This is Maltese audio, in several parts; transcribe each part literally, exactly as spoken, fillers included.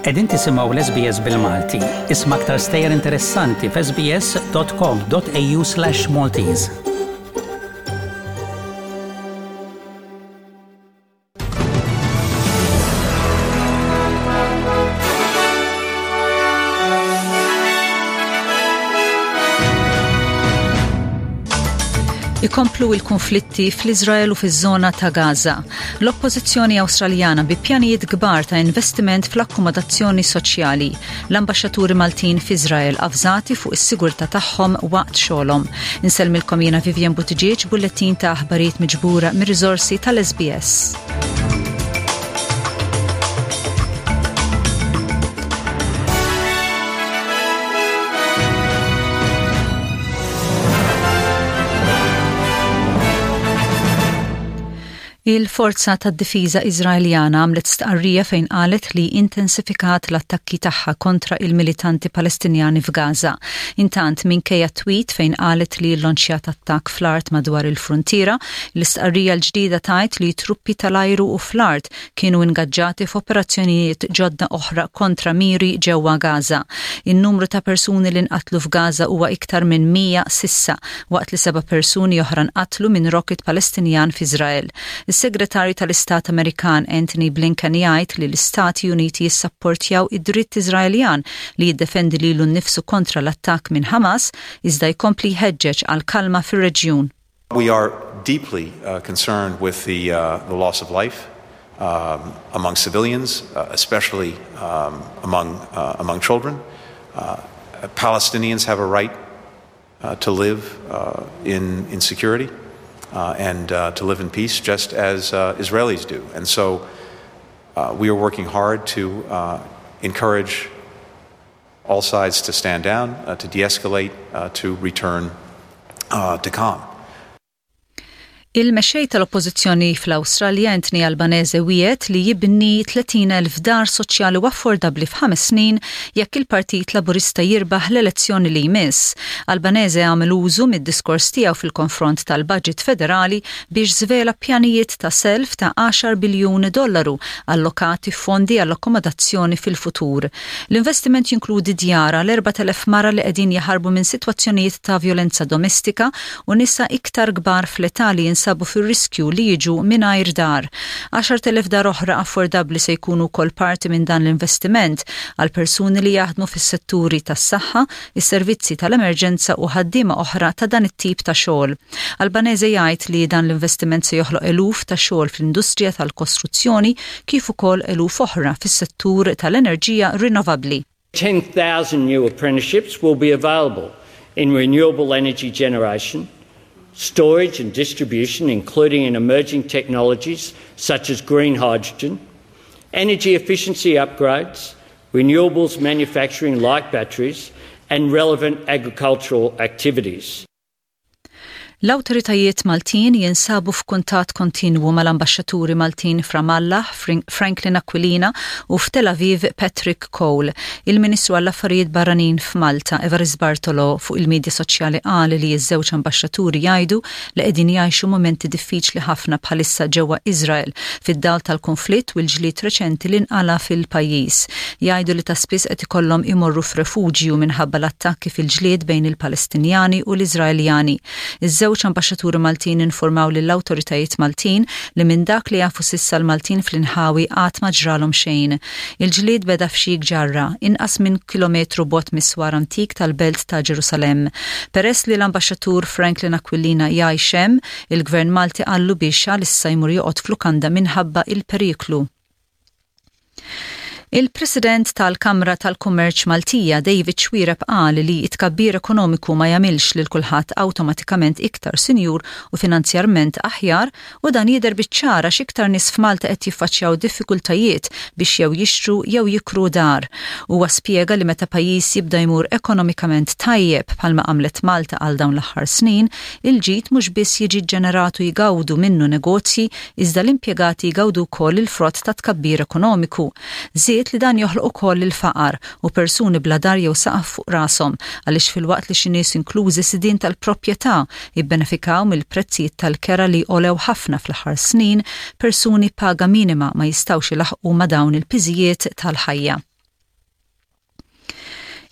Qegħdin tisimgħu l-S B S bil-Malti. Isma' aktar stejjer interessanti f'S B S dot com dot A U slash Maltese. Ikomplu il-konflitti fl-Izrael u fiż-żona ta' Gaza. L-Oppożizzjoni Awstraljana bi pjanijiet kbar ta' investiment fl-akkomodazzjoni soċjali. L-ambaxxaturi Maltin f'Izrael avżati fuq is-sigurtà tagħhom waqt xogħolhom. Insellmilkom jiena Vivian Buttigieg, bullettin ta' aħbarijiet miġbura mir-riżorsi tal-S B S. Il-Forza tad-Difiża Iżraeljana għamlet stqarrija fejn qalet li intensifikat l-attakki tagħha kontra il-militanti Palestinjani f'Gaza. Intant, minkejja tweet fejn qalet li llonċjat attakk fl-art madwar il-frontiera, l-istqarrija l-ġdida tgħid li truppi tal-ajru u fl-art kienu ingaġġati f'operazzjonijiet ġodda oħra kontra miri ġewwa Gaza. In-numru ta' persuni li nqatlu f'Gaza huwa iktar minn mija s'issa, waqt li seba' persuni oħra nqatlu minn rocket Palestinjan f'Iżrael. Is-Segretarju tal-Istat Amerikan Anthony Blinken jgħid li l-Istati Uniti jissapportjaw id-dritt Iżraeljan li jiddefendi lilu nnifsu kontra l-attakk minn Hamas, iżda jkompli jħeġġeġ għal kalma fir-reġjun. We are deeply uh, concerned with the, uh, the loss of life um, among civilians, uh, especially um, among, uh, among children. Uh, Palestinians have a right uh, to live uh, in, in security uh, and uh, to live in peace, just as uh, Israelis do. And so uh, we are working hard to uh, encourage all sides to stand down, uh, to de escalate, uh, to return uh, to calm. Il-mexxej tal-Oppożizzjoni fl-Awstralja Anthony Albanese wiegħed li jibni tletin elf dar soċjali u affordabbli f'ħames snin jekk il-Partit Laburista jirbaħ l-elezzjoni li jmiss. Albanese għamel użu mid-diskors tiegħu fil-konfront tal-budget federali biex żvela pjanijiet ta' self ta' għaxar biljun dollaru allokati fondi għall-akkomodazzjoni fil-futur. L-investiment jinkludi djar għal erbat elef mara li qegħdin jaħarbu minn sitwazzjonijiet ta' violenza domestika u nisa iktar kbar fl-età li jinsabu fir-riskju li jiġu mingħajr dar. għaxart elef dar oħra affordabbli se jkunu wkoll parti minn dan l-investiment għal persuni li jaħdmu fis-setturi tas-saħħa, is-servizzi tal-emerġenza u ħaddiema oħra ta' dan it-tip ta' xogħol. Albanese jgħid li dan l-investiment se joħloq eluf ta' xogħol fl-industrija tal-kostruzzjoni kif ukoll eluf oħra fis-settur tal-enerġija rinnovabbli. ten thousand new apprenticeships will be available in renewable energy generation, storage and distribution, including in emerging technologies such as green hydrogen, energy efficiency upgrades, renewables manufacturing like batteries, and relevant agricultural activities. L-awtoritajiet Maltin jinsabu f'kuntatt kontinwu mal-ambaxxaturi Maltin f'Ramallah, Franklin Aquilina, u f'Tel Aviv, Patrick Cole. Il-Ministru għall-Affarijiet Barranin f'Malta, Evarist Bartolo, fuq il-medja soċjali qal li ż-żewġ ambaxxaturi jgħidu li qegħdin jgħixu momenti diffiċli ħafna bħalissa ġewwa Izrael fid-dawl tal-konflitt u l-ġlied reċenti li nqala fil-pajjiż. Jgħidu li ta' spiss qed ikollhom imorru f'refuġju minħabba l-attakki fil-ġlied bejn il-Palestinjani u l-Iżraeljani. Iż-żewġ ambaxxaturi Maltin informaw lill-awtoritajiet Maltin li minn dak li jafu s'issa l-Maltin fl-inħawi qatt ma ġralhom xejn. Il-ġlied beda f'Xejh Ġarra, inqas minn kilometru bogħod mis-swar antik tal-belt ta' Ġerusalemm. Peress li l-ambaxxatur Franklin Aquilina jgħix hemm, il-Gvern Malti qallu biex għalissa jmur joqgħod f'lukanda minħabba il-periklu. Il-President tal-Kamra tal-Kummerċ Maltija David Xuereb qal li it-tkabbir ekonomiku ma jagħmilx lil kulħadd awtomatikament iktar sinjur u finanzjarment aħjar, u dan jidher biċ-ċar għax iktar nies f'Malta qed jiffaċċjaw diffikultajiet biex jew jixtru jew jikru dar. Huwa spjega li meta pajjiż jibda jmur ekonomikament tajjeb, bħalma għamlet Malta għal dawn l-aħħar snin, il-ġid mhux biss jiġi ġeneratu jgawdu minnu negozji, iżda l-impjegati jgawdu wkoll il-frott ta' tkabbir ekonomiku. Żied li dan joħloq ukoll il-faqar u persuni bla dar jew saqaf fuq rashom, għaliex filwaqt li xi nies, inklużi sidien tal-proprjetà, jibbenefikaw mill-prezzijiet tal-kera li għolew ħafna fl-aħħar snin, persuni paga minima ma jistgħux ilaħqu ma' dawn il-piżijiet tal-ħajja.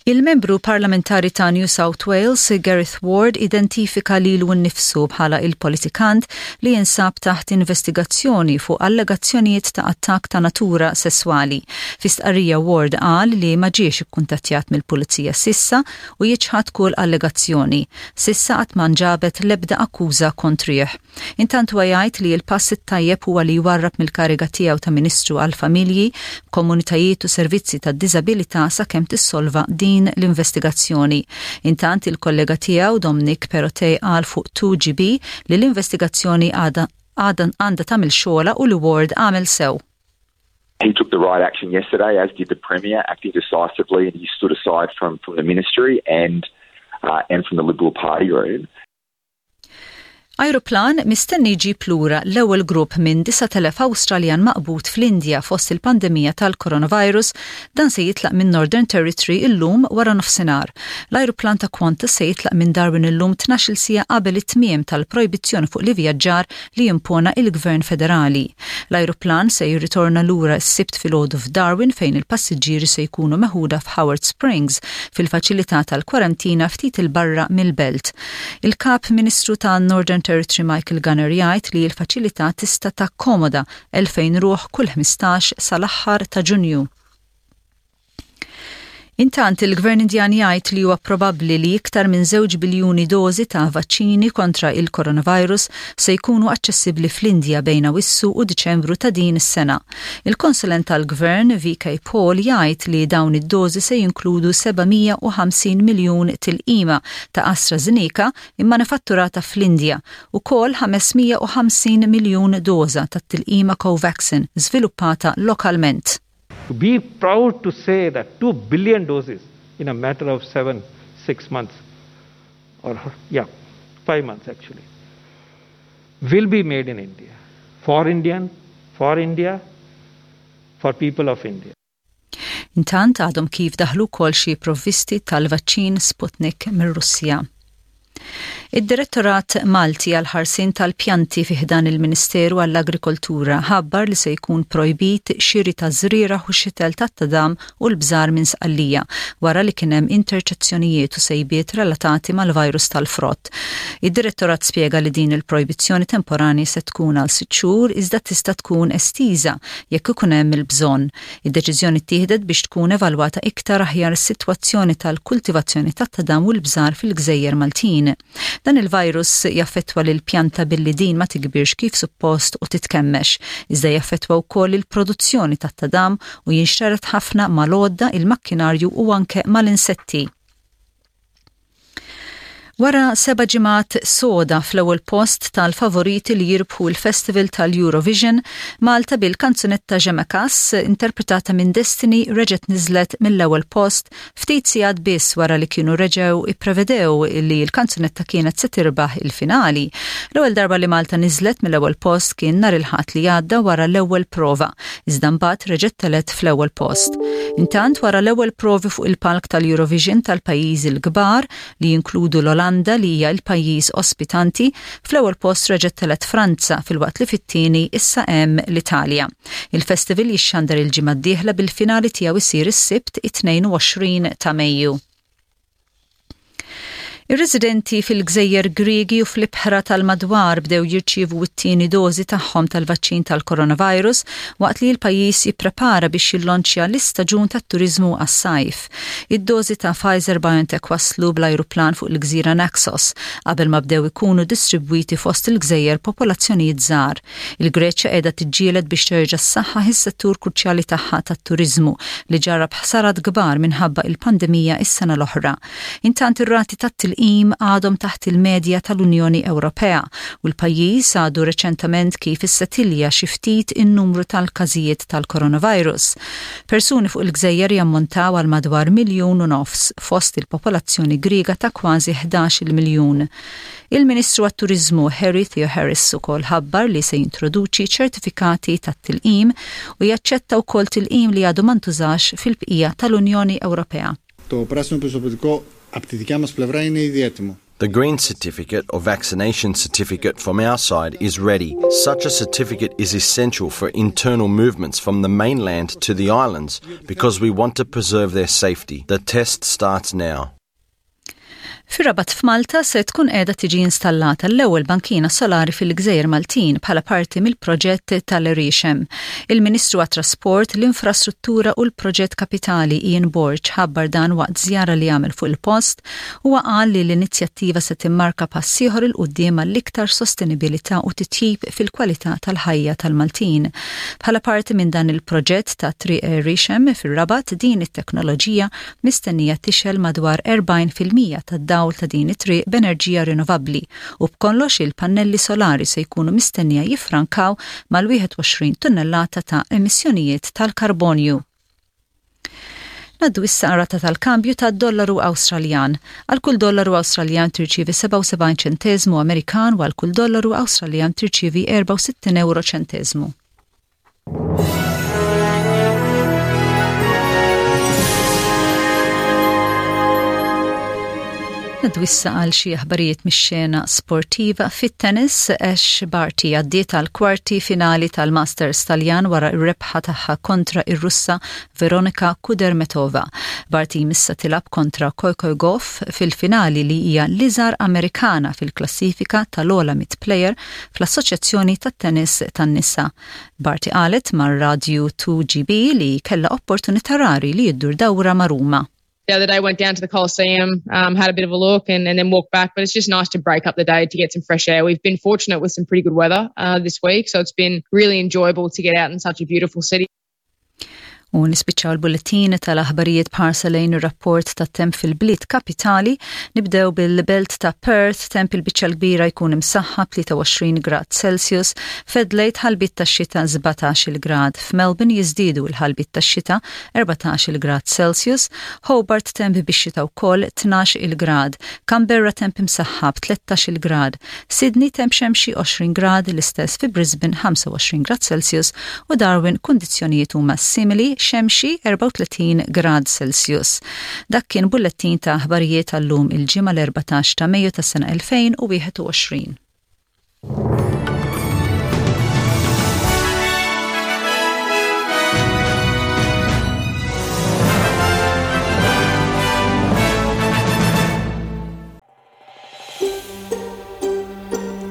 Il-membru parlamentari ta' New South Wales, Gareth Ward, identifika lilu nnifsu bħala il-politikant li jinsab taħt investigazzjoni fuq allegazzjonijiet ta' attak ta' natura sessuali. Fi stqarrija, Ward qal li ma ġiex ikkuntattjat mill-pulizija s'issa u jiċħad kull allegazzjoni. S'issa qatt ma nġabet l-ebda akkuża kontrih. Intant huwa jgħid li l-pass it-tajjeb huwa li jwarrab mill-kariga tiegħu ta' Ministru għal-Familji, Komunitajiet u Servizzi tad Diżabilità sakemm tissolva din din l-investigazzjoni. Intant, il-kollega tiegħu Dominic Perrottet qal fuq two G B li l-investigazzjoni għadha għandha tagħmel xogħla u li Ward għamel sew. He took the right action yesterday, as did the Premier, acting decisively, and he stood aside from, from the ministry and, uh, and from the Liberal Party room. Aeroplan mistenni jġib lura l-ewwel grupp minn disa' elef Awstraljan maqbud fl-Indja fost il-pandemija tal-coronavirus. Dan se jitlaq minn Northern Territory illum wara nofsinhar. L-aeroplan ta' Qantas se jitlaq minn Darwin illum tnax-il siegħa qabel it-tmiem tal-projbizzjoni fuq l-ivvjaġġar li jimpona il-Gvern Federali. L-aeroplan se jirritorna lura s-Sibt filgħodu f'Darwin, fejn il-passiġġieri se jkunu meħuda f'Howard Springs, fil-faċilità tal-kwarantina ftit il-barra mill-belt. Il-Kap Ministru ta' Northern Territory Michael Gunner jgħid li l-faċilità tista' takkomoda elfejn ruħ kull ħmistax sal-aħħar ta' Ġunju. Intant, il-Gvern Indjan jgħid li huwa probabbli li iktar minn żewġ biljuni dożi ta' vaċċini kontra il-coronavirus se jkunu aċċessibbli fl-Indja bejn Awissu u Diċembru ta' din is-sena. Il-konsulent tal-Gvern V K Paul jgħid li dawn id-dożi se jinkludu seba' mija u ħamsin miljun tilqima ta' AstraZeneca immanifatturata fl-Indja u kol ħames mija u ħamsin miljun doża ta' tilqima Covaxin żviluppata lokalment. To be proud to say that two billion doses in a matter of seven, six months, or yeah, five months actually, will be made in India. For Indian, for India, for people of India. Intant, għadhom kif daħlu kol xi provvisti tal-vaċċin Sputnik mir-Russja. Id-Direttorat Malti għal-ħarsien tal-pjanti fi ħdan il-Ministeru għall-Agrikoltura ħabbar li se jkun projbit xiri ta' żrieragħ u xitel tat-tadam u l-bżar minn Sqallija wara li kien hemm interċezzjonijiet u sejbiet relatati mal-virus tal-frott. Id-Direttorat spjega li din il-projbizzjoni temporani se tkun għal sitt xhur, iżda tista' tkun estiża jekk ikun hemm il-bżonn. Id-deċiżjoni ttieħdet biex tkun evalwata iktar aħjar is-sitwazzjoni tal-kultivazzjoni tat-tadam u l-bżar fil-Gżejjer Maltin. Dan il-virus jaffettwa lil pjanta billi din ma tikbirx kif suppost u titkemmex, iżda jaffettwa wkoll il-produzzjoni tat-tadam u jinxtered ħafna mal-għodda, il-makkinarju u anke mal-insetti. Wara seba' ġimgħat soda fl-ewwel post tal-favoriti li jirbħu l-Festival tal-Eurovision, Malta bil-kanzunetta Je me casse interpretata minn Destiny reġgħet niżlet mill-ewwel post ftit sigħat biss wara li kienu reġgħu ipprevedew li l-kanzunetta kienet se tirbaħ il-finali. L-ewwel darba li Malta niżlet mill-ewwel post kien nhar il-Ħadd li għadda wara l-ewwel prova, iżda mbagħad reġgħet telgħet fl-ewwel post. Intant, wara l-ewwel provi fuq il-palk tal-Eurovision tal-pajjiżi l-kbar li jinkludu l-Olanda li hija l-pajjiż ospitanti, fl-ewwel post reġgħet telgħet Franza, filwaqt li fit-tieni issa hemm l-Italja. Il-festival jixxandar il-ġimgħa d-dieħla, bil-finali tiegħu isir is-Sibt it-tnejn u għoxrin ta' Mejju. Ir-residenti fil-Gżejjer Griegi u fl-ibħra tal-madwar bdew jirċievu t-tieni dożi tagħhom tal-vaċċin tal-coronavirus waqt li l-pajjiż jipprepara biex jillonċja l-istaġun tat-turiżmu għas-sajf. Id-dożi ta' Pfizer BioNTech waslu bl-ajruplan fuq il-gżira Naxos qabel ma bdew ikunu distribwiti fost il-gżejjer popolazzjonijiet żgħar. Il-Greċja qiegħda tiġġieled biex terġa' ssaħħaħ is-settur kruċjali tagħha tat-turiżmu li ġarrab ħsarat kbar minħabba il-pandemija is-sena l-oħra. Intant, ir-rati tat tilqim għadhom taħt il-medja tal-Unjoni Ewropea u l-pajjiż għadu reċentament kif issetilja xi ftit in-numru tal-każijiet tal-coronavirus. Persuni fuq il-gżejjer jammontaw għal madwar miljun u nofs fost il-popolazzjoni Griega ta' kważi ħdax-il miljun. Il-Ministru għat-Turizmu Harry Theoharis ukoll ħabbar li se jintroduċi ċertifikati tat-tilqim u jaċċetta wkoll tilqim li għadu ma ntużax fil-bqija tal-Unjoni Ewropea. Το πράσινο πιστοποιητικό από τη δικιά μας πλευρά είναι ήδη έτοιμο. The green certificate or vaccination certificate from our side is ready. Such a certificate is essential for internal movements from the mainland to the islands because we want to preserve their safety. The test starts now. Fir-Rabat f'Malta se tkun qiegħda tiġi installata l-ewwel bankina solari fil-Gżejjer Maltin bħala parti mill-proġett tal-Għeriexem. Il-Ministru għat-Trasport, l-Infrastruttura u l-Proġett Kapitali Ian Borg ħabbar dan waqt żjara li għamel fuq il-post u qal li l-inizjattiva se timmarka pass ieħor 'il quddiem għall-iktar sostenibilità u titjib fil-kwalità tal-ħajja tal-Maltin. Bħala parti minn dan il-proġett ta' Triq Għeriexem fir-Rabat, din it-teknoloġija mistennija tixgħel madwar erbgħin fil-mija tad dawl ta' din it-triq b'enerġija rinnovabbli u b'kollox il-pannelli solari se jkunu mistennija jifrankaw mal-wieħed u għoxrin tunnellata ta' emissjonijiet tal-karbonju. Ngħaddu issa rata tal-kambju ta' dollaru Awstraljan. Għal kull dollaru Awstraljan tirċivi sebgħa u sebgħin ċentezmu Amerikan u għal kull dollaru Awstraljan tirċivi erbgħa u sittin euro ċentezmu. Ngħaddu issa għal xi aħbarijiet mix-xena sportiva. Fit-tennis, Ash Barty għaddiet għal kwarti finali tal-Masters Taljan wara r-rebħa tagħha kontra ir-Russa Veronika Kudermetova. Barty issa tilgħab kontra Coco Gauff fil-finali, li hija l-iżgħar Amerikana fil-klassifika tal-ogħla mitt player fl-Assoċjazzjoni tat-Tennis tan-Nisa. Barty qalet mar-Radio two G B li kella opportunità rari li iddur dawra ma' Ruma. The other day went down to the Coliseum, um, had a bit of a look and, and then walked back. But it's just nice to break up the day to get some fresh air. We've been fortunate with some pretty good weather uh, this week, so it's been really enjoyable to get out in such a beautiful city. U nispiċċaw il-bulletin tal-aħbarijiet b'ħarsa lejn ir-rapport ta' temp fil-bliet kapitali. Nibdew bil-belt ta' Perth, temp il-biċċa l-kbira jkun imsaħħab, tlieta u għoxrin grad Celsius, f'Adelaide ħalbiet ta' xita, sbatax grad, f'Melbourne jiżdiedu l-ħalbiet ta' xita, erbatax grad Celsius, Hobart temp bix-xita wkoll, tnax grad, Canberra temp imsaħħab, tlettax grad, Sydney temp xemxi, għoxrin grad, l-istess fi Brisbane, ħamsa u għoxrin grad Celsius u Darwin kundizzjonijiet huma simili, xemxi, erbgħa u tletin grad Celsius. Dak kien bullettin ta' aħbarijiet għallum il-ġimgħa l-erbatax ta' Mejju tas-sena elfejn u wieħed u għoxrin.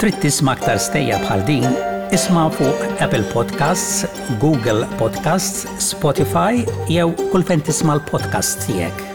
Trid tisma' aktar stejjer bħal din? Isma' fuq Apple Podcasts, Google Podcasts, Spotify jew kull fejn tisma' l-podcast tiegħek.